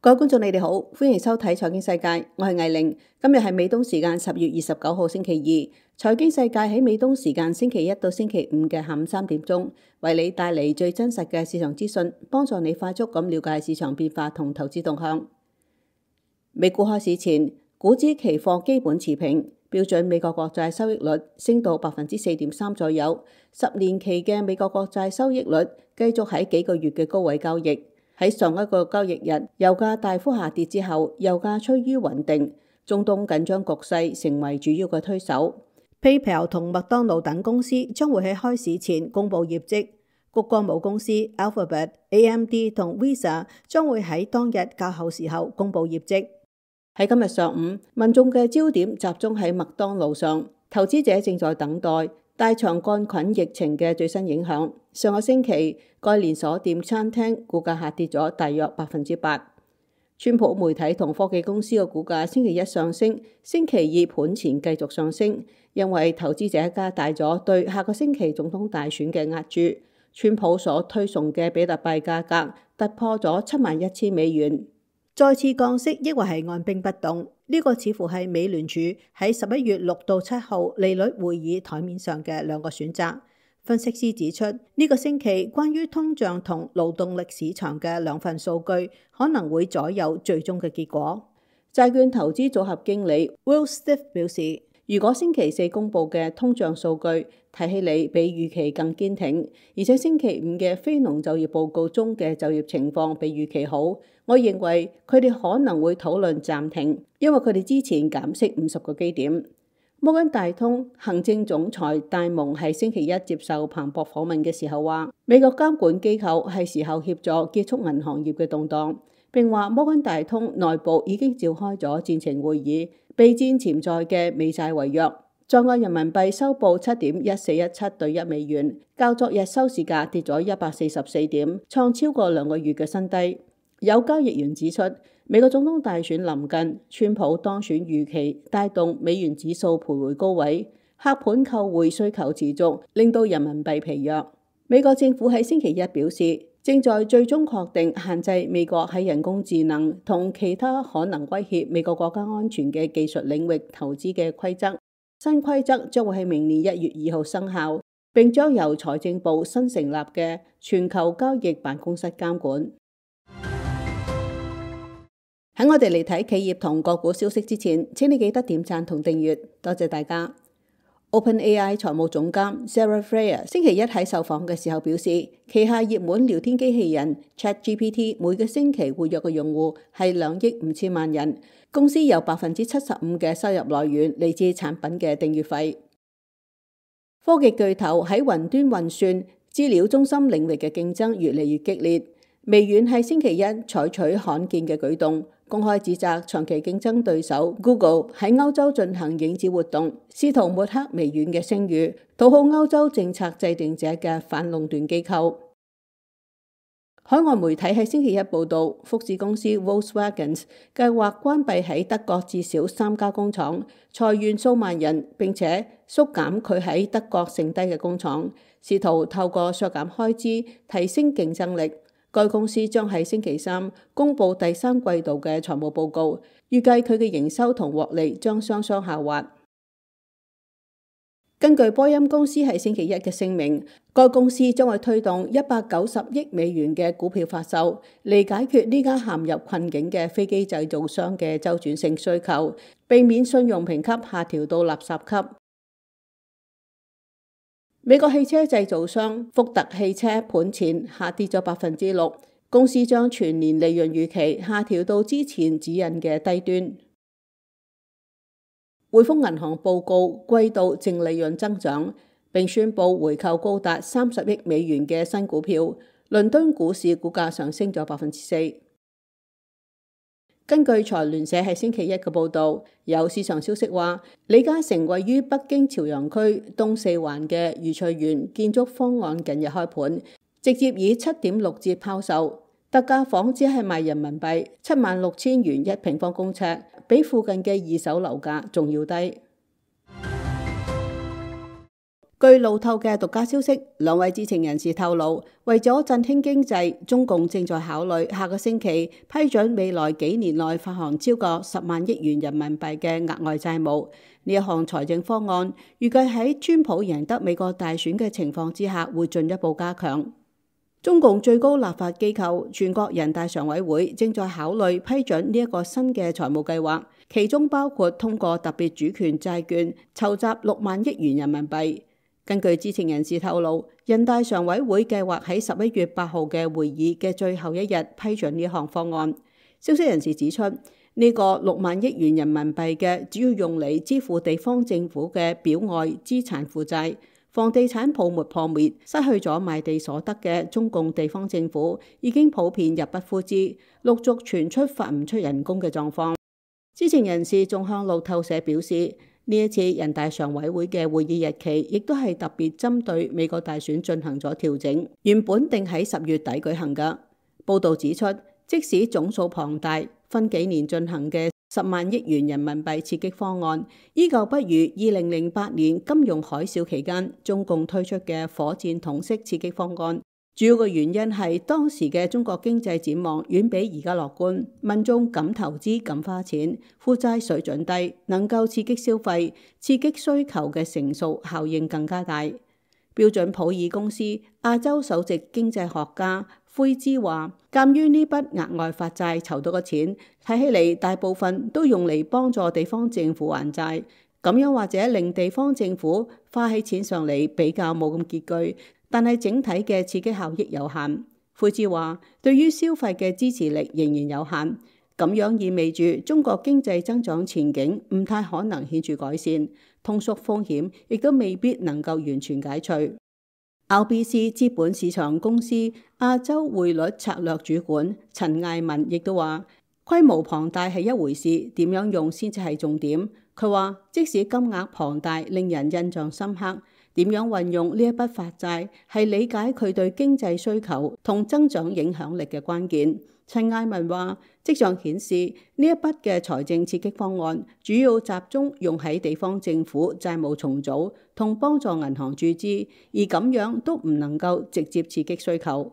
各位觀眾，你哋好，歡迎收睇財經世界，我係魏玲。今日係美東時間10月29號星期二，財經世界喺美東時間星期一到星期五嘅下午3點鐘，為你帶嚟最真實嘅市場資訊，幫助你快速咁了解市場變化同投資動向。美股開市前，股指期貨基本持平，標準美國國債收益率升到4.3%左右，10年期嘅美國國債收益率繼續喺幾個月嘅高位交易。喺上一個交易日，油價大幅下跌之後，油價趨於穩定。中東緊張局勢成為主要嘅推手。PayPal 同麥當勞等公司將會喺開市前公布業績。谷歌母公司 Alphabet、AMD 同 Visa 將會喺當日較後時候公布業績。喺今日上午，民眾嘅焦點集中喺麥當勞上，投資者正在等待大腸桿菌疫情嘅最新影響。上個星期，該連鎖店餐廳股價下跌咗大約8%。川普媒體同科技公司嘅股價星期一上升，星期二盤前繼續上升，因為投資者加大咗對下個星期總統大選嘅押注。川普所推崇嘅比特幣價格突破咗71,000美元。再次降息，抑或係按兵不動？呢個似乎係美聯儲喺11月6到7號利率會議台面上嘅兩個選擇。分析師指出，呢個星期關於通脹同勞動力市場嘅兩份數據可能會左右最終嘅結果。債券投資組合經理 Will Stiff 表示，如果星期四公佈嘅通脹數據睇起嚟比預期更堅挺，而且星期五嘅非農就業報告中嘅就業情況比預期好，我認為佢哋可能會討論暫停，因為佢哋之前減息50個基點。摩根大通行政總裁戴蒙喺星期一接受彭博訪問嘅時候話，美國監管機構係時候協助結束銀行業嘅動盪，並話摩根大通內部已經召開咗戰情會議，備戰潛在嘅美債違約。在岸人民幣收報7.1417對1美元，較昨日收市價跌咗144點，創超過2個月嘅新低。有交易員指出，美國總統大選臨近，川普當選預期帶動美元指數徘徊高位，客盤購匯需求持續，令到人民幣疲弱。美國政府喺星期一表示，正在最終確定限制美國喺人工智能同其他可能威脅美國國家安全嘅技術領域投資嘅規則。新規則將會喺明年1月2號生效，並將由財政部新成立嘅全球交易辦公室監管。喺我哋嚟睇企業同個股消息之前，請你記得點讚同訂閱，多謝大家。OpenAI 財務總監 Sarah Freer 星期一喺受訪嘅時候表示，旗下熱門聊天機器人 ChatGPT 每個星期活躍嘅用戶係2億5千萬人，公司有75%嘅收入來源嚟自產品嘅訂閱費。科技巨頭喺雲端運算資料中心領域嘅競爭越嚟越激烈。微軟喺星期一採取罕見嘅舉動，公開指責長期競爭對手 Google 喺歐洲進行影子活動，試圖抹黑微軟嘅聲譽，討好歐洲政策制定者嘅反壟斷機構。海外媒體喺星期一報道，福士公司 Volkswagen 計劃關閉喺德國至少3家工廠，裁員數萬人，並且縮減佢喺德國剩低嘅工廠，試圖透過削減開支提升競爭力。該公司將喺星期三公佈第3季度嘅財務報告，預計佢嘅營收同獲利將雙雙下滑。根據波音公司喺星期一嘅聲明，該公司將會推動190億美元嘅股票發售，嚟解決呢家陷入困境嘅飛機製造商嘅周轉性需求，避免信用評級下調到垃圾級。美國汽車製造商福特汽車盤前下跌咗6%，公司將全年利潤預期下調到之前指引嘅低端。匯豐銀行報告季度淨利潤增長，並宣布回購高達30億美元嘅新股票。倫敦股市股價上升咗4%。根據財聯社喺星期一嘅報導，有市場消息話，李嘉誠位於北京朝陽區東四環嘅愉翠園建築方案近日開盤，直接以7.6折拋售，特價房只係賣人民幣76,000元1平方公尺，比附近嘅二手樓價仲要低。據路透嘅獨家消息，兩位知情人士透露，為咗振興經濟，中共正在考慮下個星期批准未來幾年內發行超過10萬億元人民幣嘅額外債務。呢一項財政方案預計喺川普贏得美國大選嘅情況之下，會進一步加強。中共最高立法機構全國人大常委會正在考慮批准呢一個新嘅財務計劃，其中包括通過特別主權債券籌集6萬億元人民幣。根據知情人士透露，人大常委會計劃喺11月8號嘅會議嘅最後一日批准呢項方案。消息人士指出，呢個6萬億元人民幣嘅主要用嚟支付地方政府嘅表外資產負債。房地產泡沫破滅，失去咗賣地所得嘅中共地方政府已經普遍入不敷支，陸續傳出發唔出人工嘅狀況。知情人士仲向路透社表示，呢一次人大常委會嘅會議日期亦都係特別針對美國大選進行咗調整，原本定喺10月底舉行㗎。報導指出，即使總數龐大，分幾年進行嘅10萬億元人民幣刺激方案，依舊不如2008年金融海嘯期間中共推出嘅火箭筒式刺激方案。主要嘅原因係當時嘅中國經濟展望遠比而家樂觀，民眾敢投資敢花錢，負債水準低，能夠刺激消費，刺激需求嘅乘數效應更加大。標準普爾公司亞洲首席經濟學家灰之話，鑑於呢筆額外發債籌到嘅錢睇起嚟大部分都用嚟幫助地方政府還債，咁樣或者令地方政府花起錢上嚟比較冇咁拮據，但係整體嘅刺激效益有限。灰之話，對於消費嘅支持力仍然有限，咁樣意味住中國經濟增長前景唔太可能顯著改善，通縮風險亦都未必能夠完全解除。RBC 資本市場公司亞洲匯率策略主管陳艾文亦都話，規模龐大係一回事，點樣用先至係重點。佢話，即使金額龐大令人印象深刻，點樣運用呢一筆發債係理解佢對經濟需求同增長影響力嘅關鍵。陳艾文話，跡象顯示呢一筆嘅財政刺激方案主要集中用喺地方政府債務重組同幫助銀行注資，而咁樣都唔能夠直接刺激需求。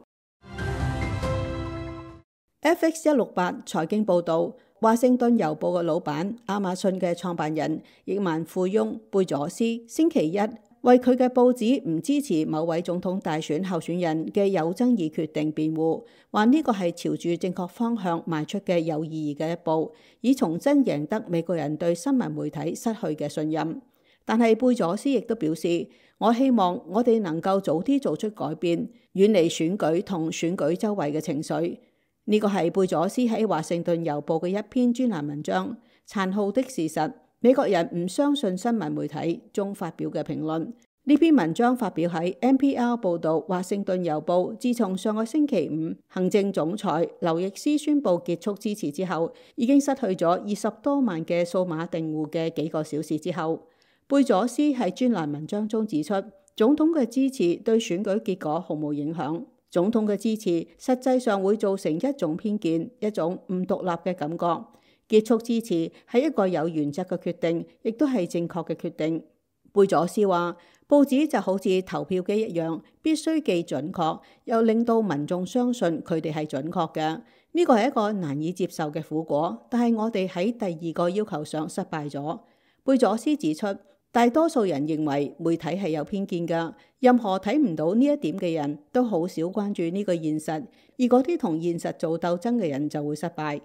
FX168 財經報導，華盛頓郵報嘅老闆、亞馬遜嘅創辦人、億萬富翁貝佐斯星期一為佢嘅報紙唔支持某位總統大選候選人嘅有爭議決定辯護，話呢個係朝住正確方向邁出嘅有意義嘅一步，以重新贏得美國人對新聞媒體失去嘅信任。但係貝佐斯亦都表示，我希望我哋能夠早啲做出改變，遠離選舉同選舉周圍嘅情緒。呢個係貝佐斯喺華盛頓郵報嘅一篇專欄文章《殘酷的事實：美國人唔相信新聞媒體》中發表嘅評論。呢篇文章發表喺 NPR 報導，華盛頓郵報自從上個星期五行政總裁劉易斯宣布結束支持之後，已經失去咗20多萬嘅數碼訂戶嘅幾個小時之後，貝佐斯喺專欄文章中指出，總統嘅支持對選舉結果毫無影響。總統嘅支持實際上會造成一種偏見，一種唔獨立嘅感覺。結束支持係一個有原則嘅決定，亦都係正確嘅決定。貝佐斯話，報紙就好似投票機一樣，必須既準確，又令到民眾相信佢哋係準確嘅。呢個係一個難以接受嘅苦果，但係我哋喺第二個要求上失敗咗。貝佐斯指出，大多數人認為媒體係有偏見㗎，任何睇唔到呢一點嘅人都好少關注呢個現實，而嗰啲同現實做鬥爭嘅人就會失敗。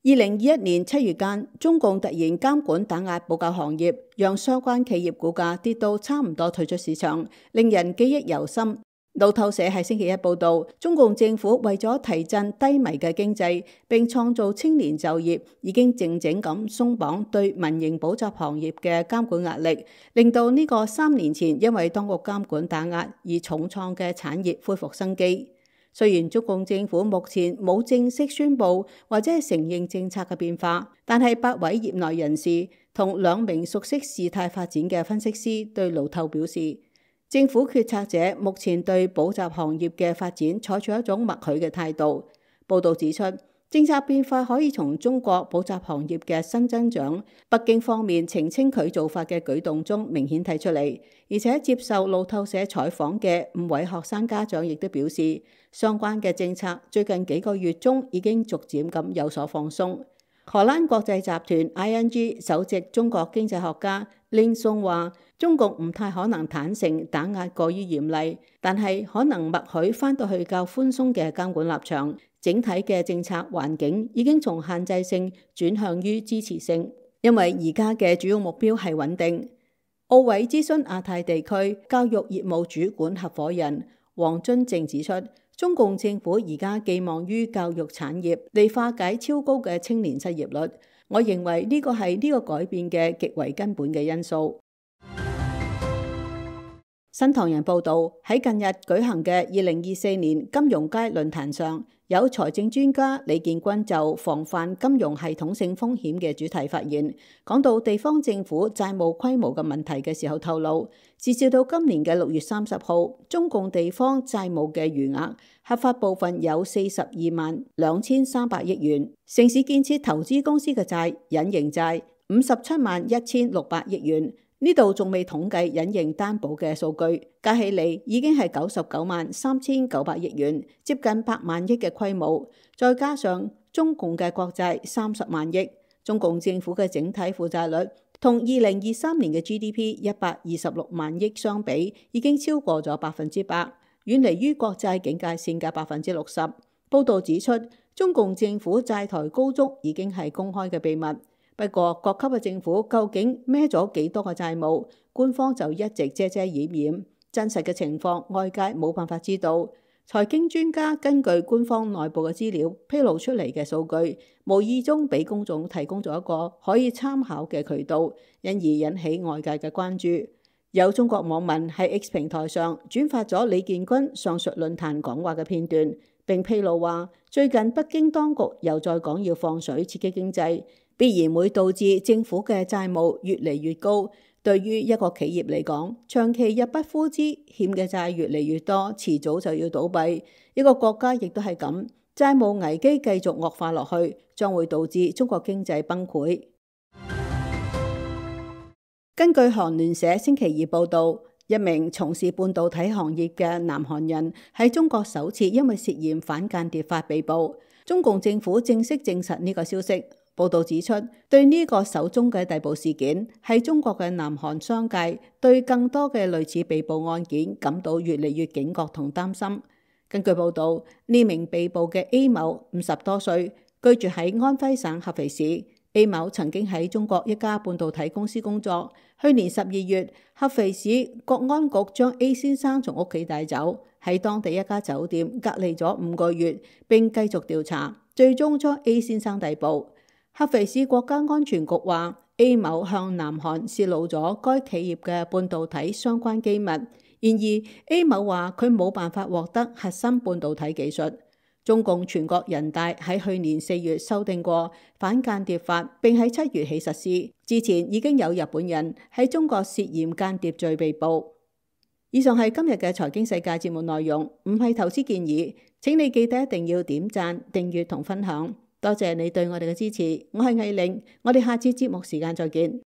2021年7月間，中共突然監管打壓保教行業，讓相關企業股價跌到差唔多退出市場，令人記憶猶深。路透社喺星期一報導，中共政府為咗提振低迷嘅經濟並創造青年就業，已經靜靜咁鬆綁對民營補習行業嘅監管壓力，令到呢個3年前因為當局監管打壓而重創嘅產業恢復生機。雖然中共政府目前冇正式宣布或者係承認政策嘅變化，但係8位業內人士同2名熟悉事態發展嘅分析師對路透表示，政府決策者目前對補習行業嘅發展採取一種默許嘅態度。報導指出，政策變化可以從中國補習行業嘅新增長、北京方面澄清佢做法嘅舉動中明顯睇出嚟。而且接受路透社採訪嘅5位學生家長亦都表示，相關嘅政策最近幾個月中已經逐漸咁有所放鬆。荷蘭國際集團 ING 首席中國經濟學家林松話，中共唔太可能坦誠打壓過於嚴厲，但係可能默許翻到去較寬鬆嘅監管立場。整體嘅政策環境已經從限制性轉向於支持性，因為而家嘅主要目標係穩定。奧委諮詢亞太地區教育業務主管合夥人黃津正指出，中共政府而家寄望於教育產業嚟化解超高嘅青年失業率。我認為呢個係呢個改變嘅極為根本嘅因素。新唐人報道，喺近日舉行嘅2024年金融街論壇上，有財政專家李建軍就防範金融系統性風險嘅主題發言，講到地方政府債務規模嘅問題嘅時候透露，截至到今年嘅6月30號，中共地方債務嘅餘額合法部分有42萬2300億元，城市建設投資公司嘅債隱形債57萬1600億元。呢度仲未統計隱形擔保嘅數據，加起嚟已經係99萬3900億元，接近100萬億嘅規模。再加上中共嘅國債30萬億，中共政府嘅整體負債率同2023年嘅 GDP 126萬億相比，已經超過咗100%，遠離於國債警戒線嘅60%。報道指出，中共政府債台高築已經係公開嘅秘密。不過，各級嘅政府究竟孭咗幾多個債務，官方就一直遮遮掩掩，真實嘅情況外界冇辦法知道。財經專家根據官方內部嘅資料披露出嚟嘅數據，無意中俾公眾提供咗一個可以參考嘅渠道，因而引起外界嘅關注。有中國網民喺 X 平台上轉發咗李建軍上述論壇講話嘅片段，並披露話，最近北京當局又再講要放水刺激經濟，必然會導致政府嘅債務越嚟越高。對於一個企業嚟講，長期入不敷支，欠嘅債越嚟越多，遲早就要倒閉。一個國家亦都係咁，債務危機繼續惡化落去，將會導致中國經濟崩潰。根據韓聯社星期二報導，一名從事半導體行業嘅南韓人喺中國首次因為涉嫌反間諜法被捕。中共政府正式證實呢個消息。報道指出，對呢個首宗嘅逮捕事件，係中國嘅南韓商界對更多嘅類似被捕案件感到越嚟越警覺同擔心。根據報道，呢名被捕嘅 A 某50多歲，居住喺安徽省合肥市。A 某曾經喺中國一家半導體公司工作。去年12月，合肥市國安局將 A 先生從屋企帶走，喺當地一家酒店隔離咗5個月，並繼續調查，最終將 A 先生逮捕。合肥市國家安全局話 A 某向南韓泄露咗該企業嘅半導體相關機密，然而 A 某話佢冇辦法獲得核心半導體技術。中共全國人大喺去年4月修訂過反間諜法，並喺7月起實施。之前已經有日本人喺中國涉嫌間諜罪被捕。以上係今日嘅財經世界節目內容，唔係投資建議，請你記得一定要點讚、訂閱同分享。多謝你對我哋嘅支持，我係藝玲，我哋下次節目時間再見。